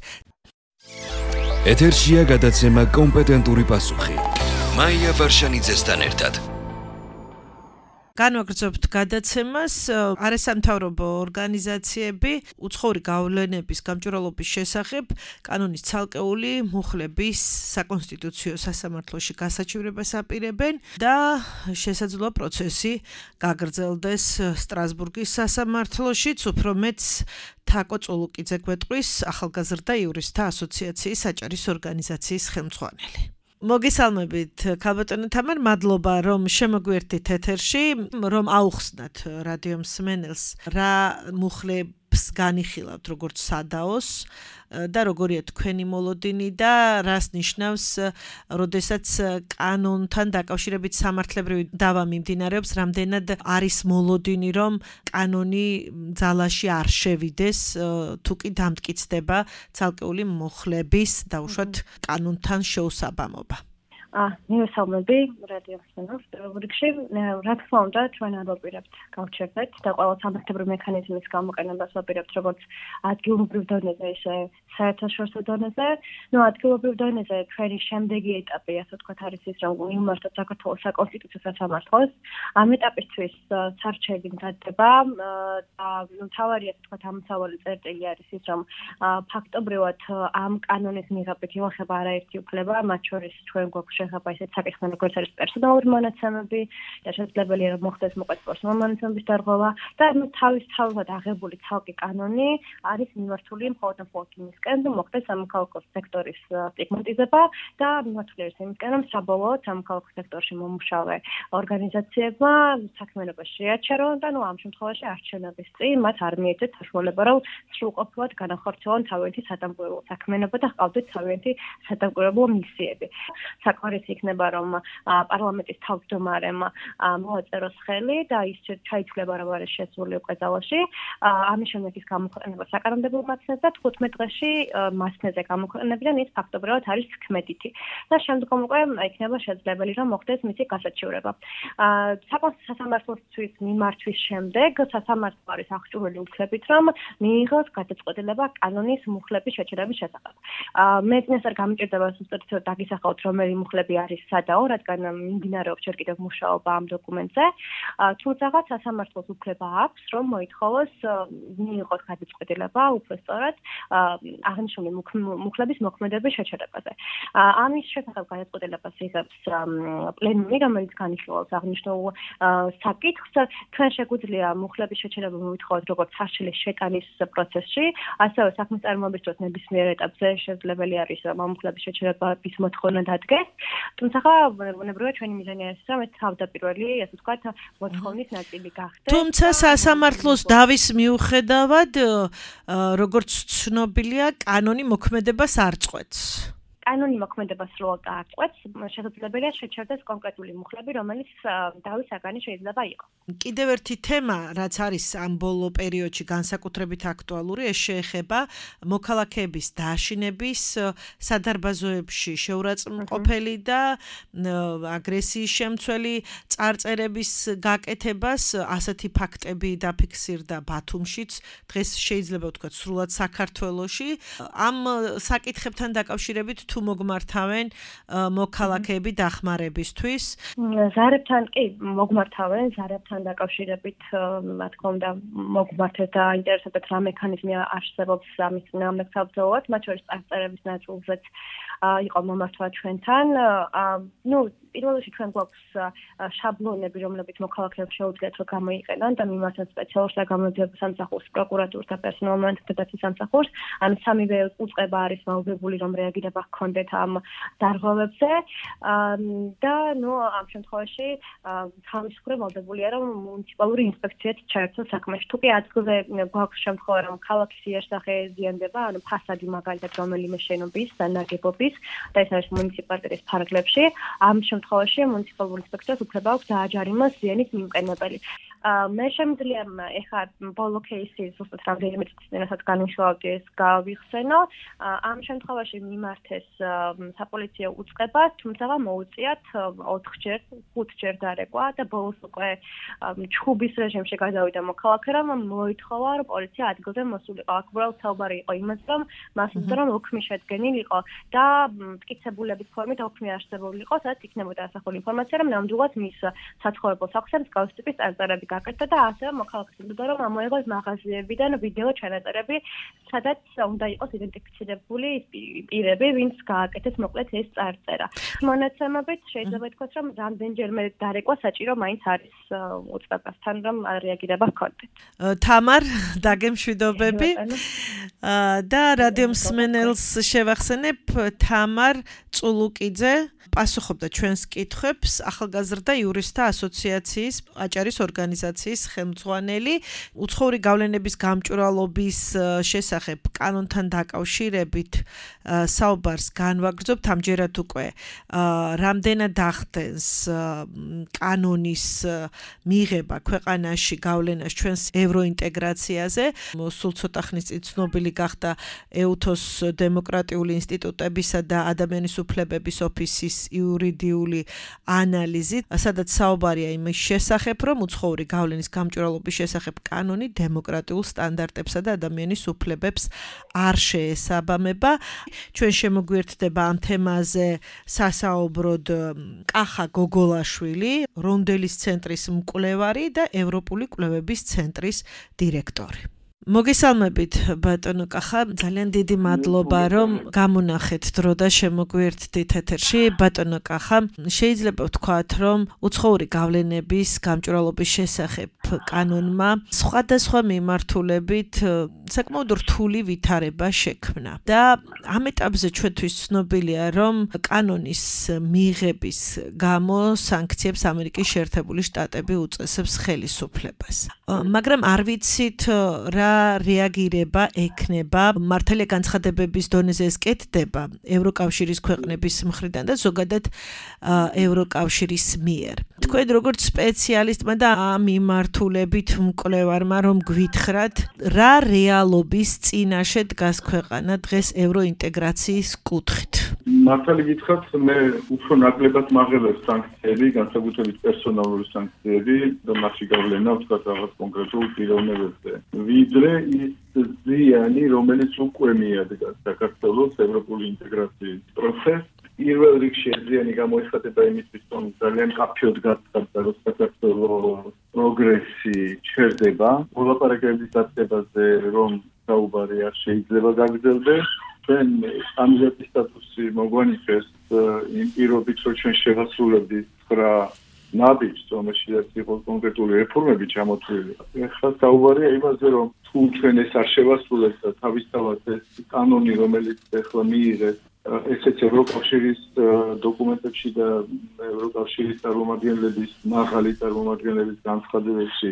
ეთერშია გადაცემა კომპეტენტური პასუხი. მაია ვარშანიძესთან ერთად. განვაგრძობთ გადაცემას არასამთავრობო ორგანიზაციები უცხოური გავლენების გამჭვირვალობის შესახებ კანონის ცალკეული მუხლების საკონსტიტუციო სასამართლოში გასაჩივრებას აპირებენ და შესაძლოა პროცესი გაგრძელდეს სტრასბურგის სასამართლოშიც, უფრო მეტს თაკო წულუკიძე გვეტყვის ახალგაზრდა იურისტთა ასოციაციის საჭარის ორგანიზაციის ხელმძღვანელი. მოგესალმებით ქალბატონო თამარ, მადლობა რომ შემოგვერთით ეთერში, რომ აუხსნათ რადიო მსმენელს რა მუხლებს განიხილავთ როგორც სადაოს და როგორია თქვენი მოლოდინი და რას ნიშნავს, როდესაც კანონთან დაკავშირებით სამართლებრივი დავა მიმდინარეობს, რამდენად არის მოლოდინი, რომ კანონი ძალაში არ შევიდეს, თუ კი დამტკიცდება ცალკეული მუხლების დაუშვათ კანონთან შეუსაბამობა. აა მივესალმები რადიო მსმენელს რუბრიკში რა თქმა უნდა ჩვენ არ ვაპირებთ გავჩერდეთ და ყველა სამართლებრივი მექანიზმის გამოყენებას ვაპირებთ როგორც ადგილობრივ დონეზე ისე საერთაშორისო დონეზე. ნუ ადგილობრივ დონეზე ჩვენი შემდეგი ეტაპი ასე ვთქვათ არის ის რომ მიმართოთ საქართველოს საკონსტიტუციო სასამართლოს. ამ ეტაპისთვის სარჩელი მზადდება და ნუ თავარი ასე ვთქვათ ამსავალი წერტილი არის ის რომ ფაქტობრივად ამ კანონის მიღებით იმახება არაერთი უფლება, მათ შორის ჩვენ გვაქვს შეხება ისეთ საკითხთან, როგორც არის პერსონალური მონაცემები და შესაძლებელია რომ მოხდეს მოყეთ პერსონალური მონაცემების დარღვევა და თავის თავად აღებული ცალკე კანონი არის მიმართული მხოლოდ მხოლოდ იმისკენ, რომ მოხდეს სამოქალაქო სექტორის სტიგმატიზება და მიმართული არის იმისკენ, რომ საბოლოოდ სამოქალაქო სექტორში მომუშავე ორგანიზაციებმა საქმიანობა შეაჩერონ და ნუ ამ შემთხვევაში არჩევნების წინ მათ არ მიეცეთ საშუალება, რომ სრულყოფილად განახორციელონ თავიანთი სადამკვირვებლო საქმიანობა და ჰყავდეთ თავიანთი სადამკვირვებლო მისიები. საკმარის იქნება რომ პარლამენტის თავმჯდომარემ მოაწეროს ხელი და ის ჩაითვლება რომ არის შესული უკვე ძალაში. ამის შემდეგ ის გამოქვეყნება საკანონმდებლო მაცნეს და თხუთმეტ დღეში მასნეზე გამოქვეყნებიდან ის ფაქტობრივად არის თქმედითი. და შემდგომ უკვე იქნება შესაძლებელი რომ მოხდეს მისი გასაჩივრება. საკონსტიტუციო სასამართლოსთვის მიმართვის შემდეგ სასამართლო არის აღჭურვილი უფლებით რომ მიიღოს გადაწყვეტილება კანონის მუხლების შეჩერების შესახებ. მე წინასწარ არ გამიჭირდება სუსტად დაგისახავთ რომელი მუხლები არის სადაო, რადგან მიმდინარეობს ჯერ კიდევ მუშაობა ამ დოკუმენტზე. თუმცა სასამართლოს უფლება აქვს, რომ მოითხოვოს მიიღოს გადაწყვეტილება უფრო სწორად აღნიშნული მუხლების მოქმედების შეჩერებაზე. ამის შესახებ გადაწყვეტილებას იღებს პლენუმი, რომელიც განიხილავს აღნიშნულ საკითხს. თქვენ შეგვიძლია მუხლების შეჩერება მოითხოვოთ როგორც საშილის შეტანის პროცესში, ასევე საქმის წარმოების დროს ნებისმიერ ეტაპზე შესაძლებელი არის ამ მუხლების შეჩერების მოთხოვნა დადგეს. თუმცა ბუნებრივია ჩვენი მიზანი არის რომ ეს თავდაპირველი, ასე ვთქვათ, მოთხოვნის ნაწილი გახდეს. თუმცა სასამართლოს დავის მიუხედავად, როგორც ცნობილია, კანონი მოქმედებას არ წყვეტს. კანონი მოქმედებას სრულად აღწევს, შესაძლებელია შეჩერდეს კონკრეტული მუხლები, რომელიც დავის საგანი შეიძლება იყოს. კიდევ ერთი თემა, რაც არის ამ ბოლო პერიოდში განსაკუთრებით აქტუალური, ეს შეეხება მოქალაქეების დააშინების სადარბაზოებში შეურაცხმყოფელი და აგრესიის შემცველი წარწერების გაკეთებას. ასეთი ფაქტები დაფიქსირდა ბათუმშიც, დღეს შეიძლება ვთქვათ სრულად საქართველოში. ამ საკითხებთან დაკავშირებით თუ მოგმართავენ მოქალაქეები დახმარებისთვის? ზარებთან კი მოგმართავენ, ზარებთან დაკავშირებით რა თქმა უნდა მოგმართეთ და ინტერესებთ რა მექანიზმი არსებობს ამის წინააღმდეგსაბრძოლოდ, მათ შორის წარწერების ნაწილზეც იყო მომართვა ჩვენთან. ნუ პირველ რიგში ჩვენ გვაქვს შაბლონები, რომლებიც მოქალაქეებს შეუძლიათ რომ გამოიყენონ და მიმართონ სპეციალურ საგამოძიებელ სამსახურს, პროკურატურს და პერსონალურ მონაცემთა სამსახურს. ამ სამივე უწყება არის მაუბრებული, რომ რეაგირება ჰქონდეთ ამ დარღვევებზე და ნუ ამ შემთხვევაში თავისუფლება ვალდებულია, რომ მუნიციპალური ინსპექციაც ჩაერთოს საქმეში. თუ კი ადგილზე გვაქვს შემთხვევა, რომ ქალაქის იერსახე ზიანდება, ანუ ფასადი მაგალითად რომელიმე შენობის და ნაგებობის და ეს არის მუნიციპალიტეტის ფარგლებში, ამ შემთხვევაში მუნიციპალურ ინსპექტორს უფლება აქვს დააჯარიმოს ზიანის მიმყენებელი. მე შემიძლია ეხლა ბოლო кейსი ზუსტად რამდენიმე წელსაც განვიშალოთ ეს გავიხსენო. ამ შემთხვევაში მიმართეს საპოლიციო უწყება, თუმცა მოუწიათ ოთხჯერ, ხუთჯერ დარეკვა და ბოლოს უკვე ჩხუბის რეჟიმში გადავიდა მოქალაქე, რომ მოითხოვა, რომ პოლიცია ადგილზე მოსულიყო. აქ უბრალოდ საუბარი იყო იმაზე, რომ მას უწევდა, რომ ოქმი შედგენილი იყო და მტკიცებულების ფორმით ოქმი არსებული იყო, სადაც იქნებოდა ასახული ინფორმაცია, რომ ნამდვილად მის საცხოვრებელ სახლზე მსგავსი ტიპის წარწერები გაკეთდა და ასევე მოქალაქეს უბრძოდა, რომ ამოიღოს მაღაზიებიდან ვიდეო ჩანაწერები, სადაც უნდა იყოს იდენტიფიცირებული პირები, ვინც გააკეთეს მოკლედ ეს წარწერა. მონაცემებით შეიძლება ითქვას, რომ რამდენჯერმე დარეკვა საჭირო მაინც არის უწყებასთან, რომ რეაგირება ჰქონდეთ. თამარ, დაგემშვიდობები და რადიო მსმენელს შევახსენებ, თამარ წულუკიძე პასუხობდა ჩვენს კითხვებს, ახალგაზრდა იურისტთა ასოციაციის აჭარის ორგანიზაციის ხელმძღვანელი. უცხოური გავლენების გამჭვირვალობის შესახებ კანონთან დაკავშირებით საუბარს განვაგრძობთ ამჯერად უკვე რამდენად ახდენს კანონის მიღება ქვეყანაში გავლენას ჩვენს ევროინტეგრაციაზე. სულ ცოტა ხნის წინ ცნობილი გახდა ეუთოს დემოკრატიული ინსტიტუტებისა და ადამიანის უფლებების ოფისის იურიდიული ანალიზი, სადაც საუბარია იმის შესახებ, რომ უცხოური გავლენის გამჭვირვალობის შესახებ კანონი დემოკრატიულ სტანდარტებსა და ადამიანის უფლებებს არ შეესაბამება. ჩვენ შემოგვიერთდება ამ თემაზე სასაუბროდ კახა გოგოლაშვილი, რონდელის ცენტრის მკვლევარი და ევროპული კვლევების ცენტრის დირექტორი. მოგესალმებით ბატონო კახა, ძალიან დიდი მადლობა რომ გამონახეთ დრო და შემოგვიერთდით ეთერში. ბატონო კახა, შეიძლება ვთქვათ, რომ უცხოური გავლენების გამჭვირვალობის შესახებ კანონმა სხვადასხვა მიმართულებით საკმაოდ რთული ვითარება შექმნა და ამ ეტაპზე ჩვენთვის ცნობილია, რომ კანონის მიღების გამო სანქციებს ამერიკის შეერთებული შტატები უწესებს ხელისუფლებას. მაგრამ არ ვიცით რა რეაგირება ექნება მართალია განცხადებების დონეზე ეს კეთდება ევროკავშირის ქვეყნების მხრიდან და ზოგადად ევროკავშირის მიერ. თქვენ როგორც სპეციალისტმა და ამ მიმართულებით მკვლევარმა რომ გვითხრათ, რა რეალობის წინაშე დგას ქვეყანა დღეს ევროინტეგრაციის კუთხით? მართალი გითხრათ, მე უფრო ნაკლებად მაღელებს სანქციები, განსაკუთრებით პერსონალური სანქციები და მასში გავლენა ვთქვათ რაღაც კონკრეტულ პიროვნებებზე. ვიდრე ის ზიანი, რომელიც უკვე მიადგა საქართველოს ევროპული ინტეგრაციის პროცესს. პირველ რიგში ეს ზიანი გამოიხატება იმისთვის, რომ ძალიან კაფეოდ გაცხადდა, რომ საქართველოს პროგრესი ჩერდება. მოლაპარაკებების დაწესებაზე, რომ საუბარი არ შეიძლება გაგრძელდეს. ჩვენ კანდიდატის სტატუსი მოგვანიჭეს იმ პირობით, რომ ჩვენ შევასრულებდით ცხრა ნაბიჯს, რომელშიც იყო კონკრეტული რეფორმები ჩამოთვლილი. ეხლა საუბარია იმაზე, რომ თუ ჩვენ ეს არ შევასრულებთ და თავისთავად ეს კანონი, რომელიც ეხლა მიიღეს, ესეც ევროკავშირის დოკუმენტებში და ევროკავშირის წარმომადგენლების მაღალი წარმომადგენლების განცხადებებში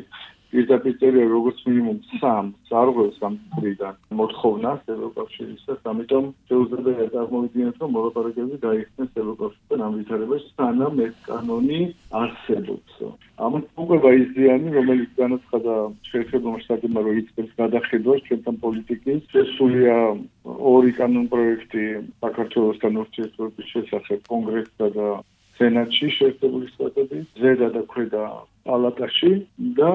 პირდაპირ წერია როგორც მინიმუმ სამ ზარღვევს ამ მხრიდან მოთხოვნას ევროკავშირისას, ამიტომ შეუძლებელია წარმოვიდგინოთ, რომ მოლაპარაკებები გაიხსნეს ევროკავშირთან ამ ვითარებაში, სანამ ეს კანონი არსებობს. ამას უკვე ის ზიანი, რომელიც განაცხადა შეერთებულმა შტატებმა, რომ იწყებს გადახედვას ჩვენთან პოლიტიკის, შესულია ორი კანონპროექტი საქართველოსთან ურთიერთობის შესახებ კონგრესსა და სენატში შეერთებული შტატების, ზედა და ქვედა პალატაში და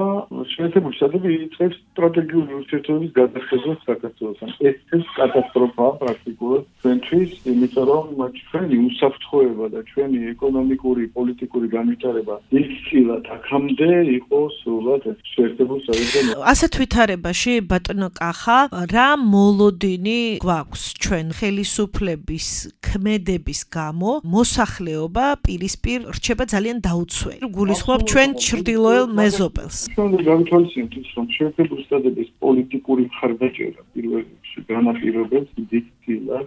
შეერთებული შტატები იწყებს სტრატეგიული ურთიერთობის გადახედვას საქართველოსთან. ეს ეს კატასტროფაა პრაქტიკულად ჩვენთვის, იმიტომ რომ ჩვენი უსაფრთხოება და ჩვენი ეკონომიკური, პოლიტიკური განვითარება ისწილად აქამდე იყო სულად შეერთებულ შტატებთან. ასეთ ვითარებაში ბატონო კახა, რა მოლოდინი გვაქვს ჩვენ ხელისუფლების ქმედების გამო მოსახლეობა პირისპირ რჩება ძალიან დაუცველი. გულისხმობ ჩვენ ჩრდილოელ მეზობელს. ჩვენ გავითვალისწინებთ ის, რომ შეერთებული შტატების პოლიტიკური მხარდაჭერა პირველ რიგში განაპირობებს დიდწილად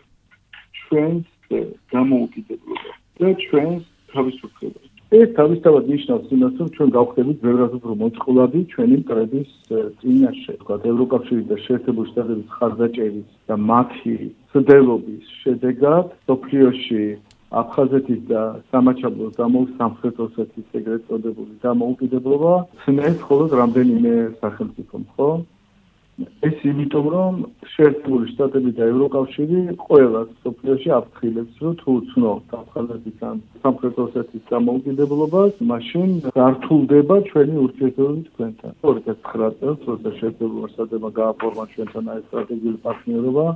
ჩვენს დამოუკიდებლობას და ჩვენს თავისუფლებას. ეს თავისთავად ნიშნავს იმას, რომ ჩვენ გავხდებით ბევრად უფრო მოწყვლადი ჩვენი მტრების წინაშე, თქვათ ევროკავშირი და შეერთებული შტატების მხარდაჭერის და მათი ცდელობის შედეგად მსოფლიოში აფხაზეთის და სამაჩაბლოს სამხრეთ ოსეთის ეგრეთ წოდებული დამოუკიდებლობა ცნეს მხოლოდ რამდენიმე სახელმწიფომ, ხო? ეს იმიტომ, რომ შეერთებული შტატები და ევროკავშირი ყველას მსოფლიოში აფრთხილებს, რომ თუ ცნობთ აფხაზეთის ან სამხრეთ ოსეთის დამოუკიდებლობას, მაშინ გართულდება ჩვენი ურთიერთობები თქვენთან. ორი ათას ცხრა წელს, როცა შეერთებულმა შტატებმა გააფორმა ჩვენთან ეს სტრატეგიული პარტნიორობა,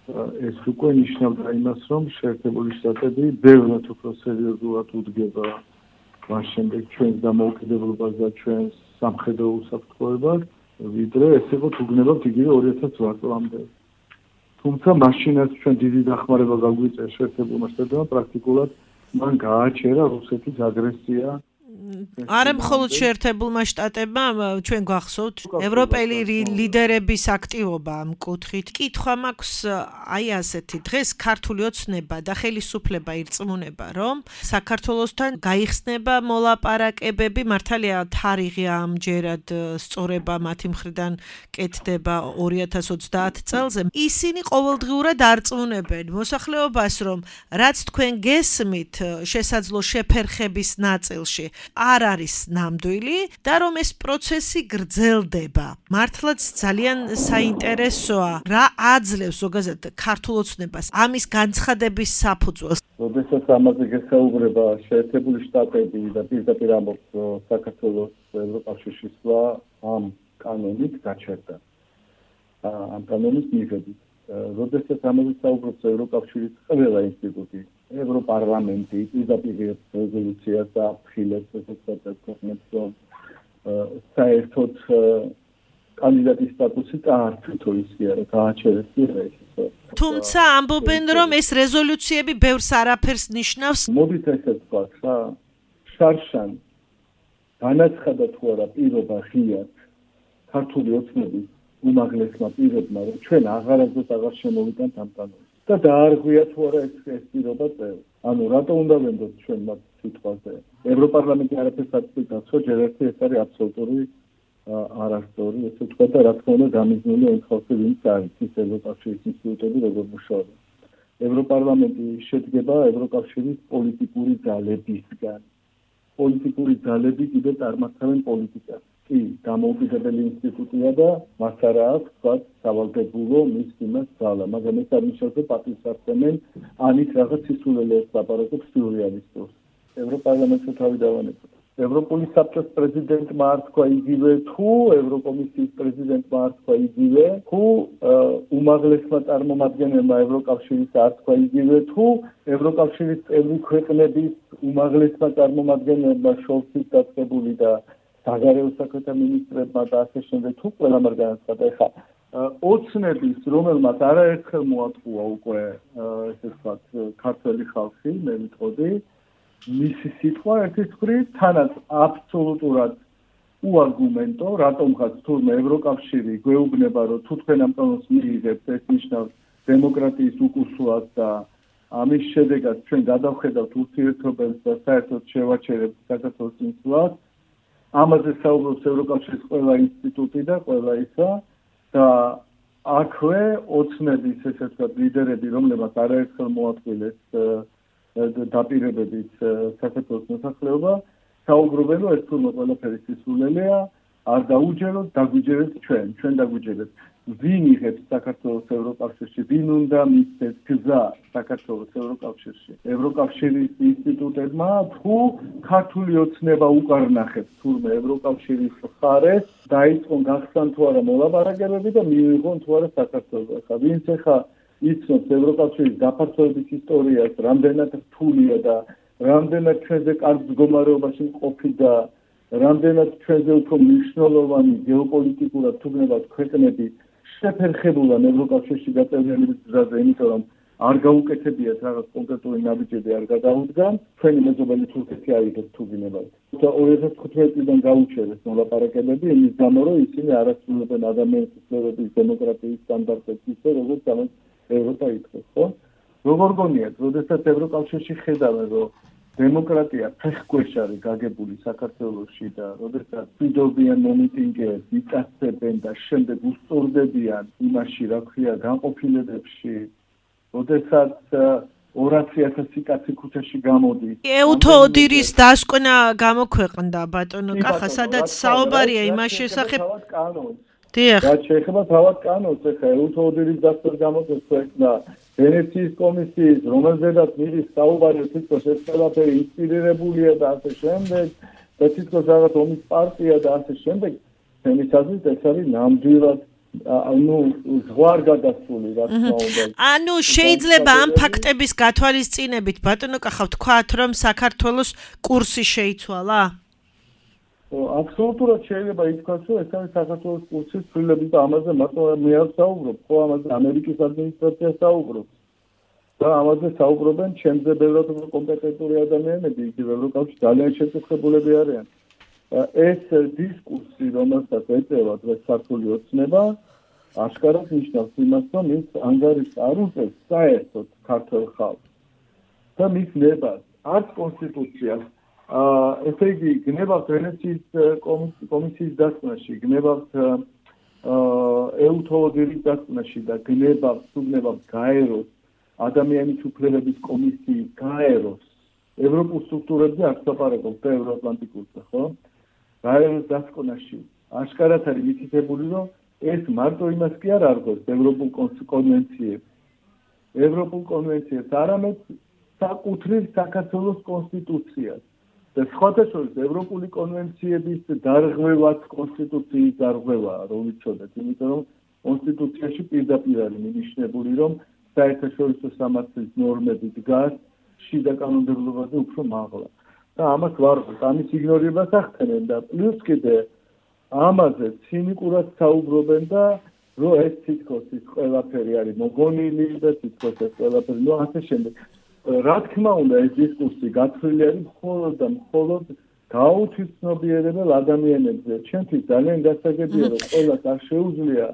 ეს უკვე ნიშნავდა იმას, რომ შეერთებული შტატები ბევრად უფრო სერიოზულად უდგება მას შემდეგ ჩვენს დამოუკიდებლობას და ჩვენს სამხედრო უსაფრთხოებას, ვიდრე ეს იყო თუ გნებავთ იგივე ორი ათას რვა წლამდე. თუმცა მაშინაც ჩვენ დიდი დახმარება გაგვიწია შეერთებულმა შტატებმა, პრაქტიკულად მან გააჩერა რუსეთის აგრესია. არა მხოლოდ შეერთებულმა შტატებმა, ჩვენ გვახსოვთ ევროპელი ლიდერების აქტივობა ამ კუთხით. კითხვა მაქვს აი ასეთი, დღეს ქართული ოცნება და ხელისუფლება ირწმუნება, რომ საქართველოსთან გაიხსნება მოლაპარაკებები, მართალია თარიღი ამჯერად სწორება მათი მხრიდან კეთდება ორი ათას ოცდაათ წელზე. ისინი ყოველდღიურად არწმუნებენ მოსახლეობას, რომ რაც თქვენ გესმით შესაძლო შეფერხების ნაწილში არ არის ნამდვილი და რომ ეს პროცესი გრძელდება. მართლაც ძალიან საინტერესოა, რა აძლევს ზოგადად ქართულ ოცნებას ამის განცხადების საფუძველს. როდესაც ამაზე გესაუბრება შეერთებული შტატები და პირდაპირ ამბობს საქართველოს ევროკავშირში სვლა ამ კანონით გაჩერდა. ამ კანონის მიხედვით. როდესაც ამაზე საუბრობს ევროკავშირის ყველა ინსტიტუტი, ევროპარლამენტი პირდაპირ რეზოლუციას აფრთხილებს ესეც ქვეყნებს, რომ საერთოდ კანდიდატის სტატუსი წაართვით ისე არა, გააჩერეს ეს. თუმცა ამბობენ, რომ ეს რეზოლუციები ბევრს არაფერს ნიშნავს. მოდით ესეც ვთქვათ რა, შარშან განაცხადა თუ არა პირობა ღიად ქართული ოცნების უმაღლესმა პირებმა, რომ ჩვენ აღარასდროს აღარ შემოვიტანთ ამ კანონს. და დაარღვია თუ არა ეს ეს პირობა წევრი. ანუ რატო უნდა ვენდოთ ჩვენ მათ სიტყვაზე? ევროპარლამენტი არაფერს არ წვითავს, რომ ჯერ ერთი ეს არის აბსოლუტური არასწორი, ესე ვთქვა და რა თქმა უნდა გამიზნული ემხავსე ვინც არის ის ევროკავშირის ინსტიტუტები როგორ მუშაობენ. ევროპარლამენტი შედგება ევროკავშირის პოლიტიკური ძალებისგან. პოლიტიკური ძალები კიდე წარმართავენ პოლიტიკას. კი, დამოუკიდებელი ინსტიტუტია და მას არა აქვს თქვა სავალდებულო მის იმას ძალა, მაგრამ ეს არ ნიშნავს, რომ პატივს არცემენ ანით რაღაც სისულელეებს ლაპარაკობს სიურეალისტებს. ევროპარლამენტში თავი დავანებოთ. ევროპული საბჭოს პრეზიდენტმა არ თქვა იგივე, თუ ევროკომისიის პრეზიდენტმა არ თქვა იგივე, თუ უმაღლესმა წარმომადგენელმა ევროკავშირის არ თქვა იგივე, თუ ევროკავშირის წევრი ქვეყნების უმაღლესმა წარმომადგენელმა შოლცის დაწყებული და საგარეო საქმეთა მინისტრებმა და ასე შემდეგ თუ ყველამ არ განაცხადა. ეხლა ოცნების, რომელმაც არაერთხელ მოატყუა უკვე ესე ვთქვათ ქართველი ხალხი, მე ვიტყოდი, მისი სიტყვა ერთის მხრივ თანაც აბსოლუტურად უარგუმენტო, რატომღაც თურმე ევროკავშირი გვეუბნება, რომ თუ თქვენ ამ კანონს მიიღებთ, ეს ნიშნავს დემოკრატიის უკუსლას და ამის შედეგად ჩვენ გადავხედავთ ურთიერთობებს და საერთოდ შევაჩერებთ საქართველოს წინსვლას. ამაზე საუბრობს ევროკავშირის ყველა ინსტიტუტი და ყველა ისა და აქვე ოცნების ესე ვთქვათ ლიდერები, რომლებმაც არაერთხელ მოაწყვილეს დაპირებებით საქართველოს მოსახლეობა, საუბრობენ, რომ ეს თურმე ყველაფერი სისულელეა, არ დაუჯეროთ, დაგვიჯერეთ ჩვენ, ჩვენ დაგვიჯერეთ. ვინ იღებს საქართველოს ევროკავშირში, ვინ უნდა მისცეს გზა საქართველოს ევროკავშირში? ევროკავშირის ინსტიტუტებმა თუ ქართული ოცნება უკარნახებს თურმე ევროკავშირის მხარეს, დაიწყონ გახსნან თუ არა მოლაპარაკებები და მიიღონ თუ არა საქართველოს. ხა ვინც ახლა იცნობს ევროკავშირის გაფართოების ისტორიას, რამდენად რთულია და რამდენად ჩვენზე კარგ მდგომარეობაში მყოფი და რამდენად ჩვენზე უფრო მნიშვნელოვანი გეოპოლიტიკურად თუ გნებავთ ქვეყნები შეფერხებულან ევროკავშირში გაწევრიანების გზაზე, იმიტომ რომ არ გაუკეთებიათ რაღაც კონკრეტული ნაბიჯები არ გადაუდგან, ჩვენი მეზობელი თურქეთი აიღეს თუ გნებავთ. ორი ათას თხუთმეტიდან გაუჩერეს მოლაპარაკებები იმის გამო, რომ ისინი არ ასრულებენ ადამიანის უფლებების დემოკრატიის სტანდარტებს ისე, როგორც ამას ევროპა ითხოვს, ხო? როგორ გონიათ, როდესაც ევროკავშირში ხედავენ, რომ დემოკრატია ფეხქვეშ არის გაგებული საქართველოში და როდესაც ვიდობიან მომიტინგეებს, იწასებენ და შემდეგ უსწორდებიან იმაში, რა ქვია, განყოფილებებში, როდესაც ორასი ათასი კაცი ქუჩაში გამოდის. ეუთო ოდირის დასკვნა გამოქვეყნდა ბატონო კახა, სადაც საუბარია იმას შესახებ. დიახ. რაც შეეხება თავად კანონს, ეხლა ეუთო ოდირის დასკვნა გამოქვეყნდა ვენეციის კომისიის, რომელზედაც მიდის საუბარი, თითქოს ეს ყველაფერი ინსპირირებულია და ასე შემდეგ, და თითქოს რაღაც ომის პარტია და ასე შემდეგ, ჩემი აზრით ეს არის ნამდვილად ანუ ზღვარ გადასული, რა თქმა უნდა. ანუ შეიძლება ამ ფაქტების გათვალისწინებით ბატონო კახა ვთქვათ, რომ საქართველოს კურსი შეიცვალა? აბსოლუტურად შეიძლება ითქვას, რომ ეს არის საქართველოს კურსის ცვლილების და ამაზე მარტო მე არ საუბრობ, ხო ამაზე ამერიკის ადმინისტრაცია საუბრობს. და ამაზე საუბრობენ ჩემზე ბევრად უფრო კომპეტენტური ადამიანები, იგივე ევროკავშირში ძალიან შეკითხებულები არიან. ეს დისკურსი, რომელსაც ეწევა დღეს ქართული ოცნება, აშკარად ნიშნავს იმას, რომ ის ანგარიშს არ უწევს საერთოდ ქართულ ხალხს და მის ნებას, არც კონსტიტუციას. ესე იგი, გნებავთ ვენეციის კომისიის დასკვნაში, გნებავთ ეუთო ოდირის დასკვნაში და გნებავთ, თუ გნებავთ გაეროს ადამიანის უფლებების კომისიის გაეროს ევროპულ სტრუქტურებზე არ ლაპარაკობთ და ევროატლანტიკურზე, ხო? გაეროს დასკვნაში აშკარად არის მითითებული, რომ ეს მარტო იმას კი არ არგოს ევროპულ კონვენციებს. ევროპულ კონვენციებს არამედ საკუთრივ საქართველოს კონსტიტუციას. და სხვათა შორის ევროპული კონვენციების დარღვევაც კონსტიტუციის დარღვევაა, რომ ვიცოდეთ, იმიტომ რომ კონსტიტუციაში პირდაპირ არის მინიშნებული, რომ საერთაშორისო სამართლის ნორმები დგას შიდა კანონმდებლობაზე უფრო მაღლა. და ამას ვარღვევთ, ამის იგნორირებას ახდენენ და პლუს კიდე ამაზე ცინიკურად საუბრობენ და რომ ეს თითქოს ის ყველაფერი არის მოგონილი და თითქოს ეს ყველაფერი, ნუ ასე შემდეგ. რა თქმა უნდა, ეს დისკურსი გათვლილი არის მხოლოდ და მხოლოდ გაუთვითცნობიერებელ ადამიანებზე. ჩემთვის ძალიან გასაგებია, რომ ყველას არ შეუძლია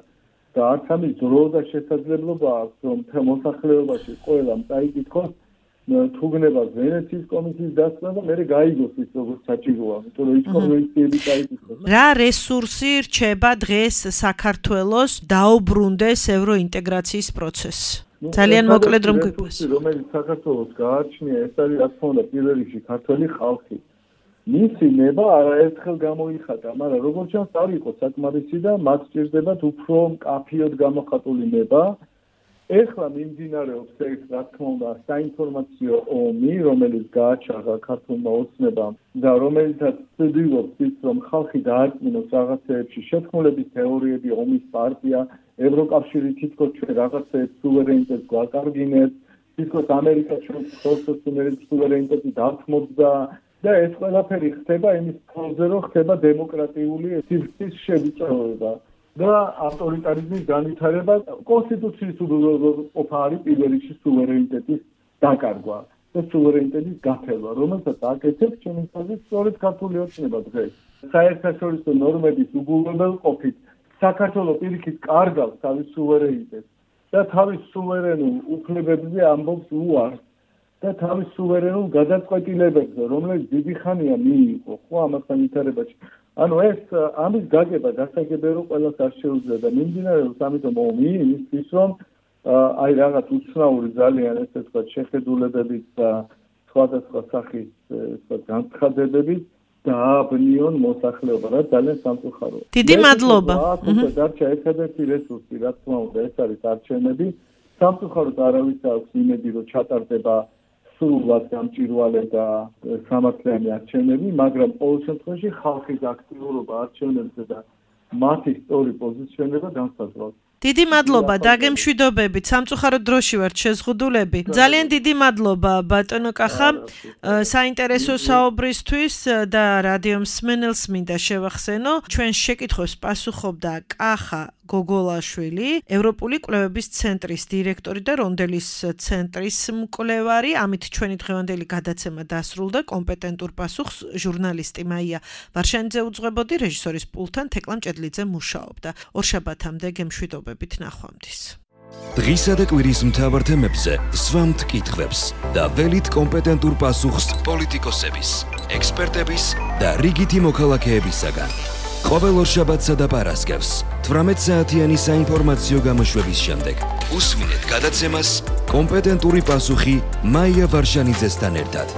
და არც ამის დრო და შესაძლებლობა აქვს, რომ მთელ მოსახლეობაში ყველამ წაიკითხოს თუ გნებავთ ვენეციის კომისიის დასკვნა და მერე გაიგოს ის როგორც საჭიროა, იმიტომ რომ ის კონვენციები წაიკითხოს. რა რესურსი რჩება დღეს საქართველოს დაუბრუნდეს ევროინტეგრაციის პროცესს? ძალიან მოკლედ რომ გვიყვეს. რომელიც საქართველოს გააჩნია, ეს არის რა თქმა უნდა პირველ რიგში ქართველი ხალხი. მისი ნება არაერთხელ გამოიხატა, მაგრამ როგორც ჩანს არ იყო საკმარისი და მათ სჭირდებათ უფრო მკაფიოდ გამოხატული ნება. ეხლა მიმდინარეობს ეს რა თქმა უნდა საინფორმაციო ომი, რომელიც გააჩაღა ქართულმა ოცნებამ და რომელიცაც ცდილობს ის, რომ ხალხი დაარწმუნოს რაღაცეებში, შეთქმულების თეორიები, ომის პარტია, ევროკავშირი თითქოს ჩვენ რაღაცეებს სუვერენიტეტს გვაკარგინებს, თითქოს ამერიკა ჩვენ ხელსაწყოების სუვერენიტეტი დათმობდა და ეს ყველაფერი ხდება იმის ფონზე, რომ ხდება დემოკრატიული სისტემის შევიწროება. და ავტორიტარიზმის განვითარება კონსტიტუციის უბრალოდ არის პირველ რიგში სუვერენიტეტის დაკარგვა და სუვერენიტეტის გაფერვა, რომელსაც აკეთებს ჩემი აზრით სწორედ ქართული ოცნება დღეს. საერთაშორისო ნორმების უგულებელყოფით საქართველოს პირიქით კარგავს თავის სუვერენიტეტს და თავის სუვერენულ უფლებებზე ამბობს უარს და თავის სუვერენულ გადაწყვეტილებებზე, რომელიც დიდი ხანია მიიღო, ხო, ამასთან ვითარებაში. ანუ ეს ამის გაგება გასაგებია რომ ყველას არ შეუძლია და მიმდინარეობს ამიტომ ომი იმისთვის რომ აი რაღაც უცნაური ძალიან ესე ვთქვათ შეხედულებებით და სხვადასხვა სახის ესე განცხადებებით დააბნიონ მოსახლეობა რა ძალიან სამწუხაროა. დიდი მადლობა. აჰა, დარჩა ერთადერთი რესურსი, რა თქმა უნდა, ეს არის არჩევნები. სამწუხაროდ არავის აქვს იმედი, რომ ჩატარდება სრულად გამჭვირვალე და სამართლიანი არჩევნები, მაგრამ ყოველ შემთხვევაში ხალხის აქტიურობა არჩევნებზე და მათი სწორი პოზიციონირება განსაზღვრავს. დიდი მადლობა დაგემშვიდობებით, სამწუხაროდ დროში ვართ შეზღუდულები. ძალიან დიდი მადლობა ბატონო კახა საინტერესო საუბრისთვის და რადიო მსმენელს მინდა შევახსენო, ჩვენს შეკითხვებს პასუხობდა კახა გოგოლაშვილი, ევროპული კვლევების ცენტრის დირექტორი და რონდელის ცენტრის მკვლევარი. ამით ჩვენი დღევანდელი გადაცემა დასრულდა. კომპეტენტურ პასუხს ჟურნალისტი მაია ვარშანიძე უძღვებოდი, რეჟისორის პულტთან თეკლა მჭედლიძე მუშაობდა. ორშაბათამდე გემშვიდობებით ნახვამდის. დღისა და კვირის მთავარ თემებზე სვამთ კითხვებს და ველით კომპეტენტურ პასუხს პოლიტიკოსების, ექსპერტების და რიგითი მოქალაქეებისაგან. ყოველ ორშაბათსა და პარასკევს თვრამეტ საათიანი საინფორმაციო გამოშვების შემდეგ უსმინეთ გადაცემას კომპეტენტური პასუხი მაია ვარშანიძესთან ერთად.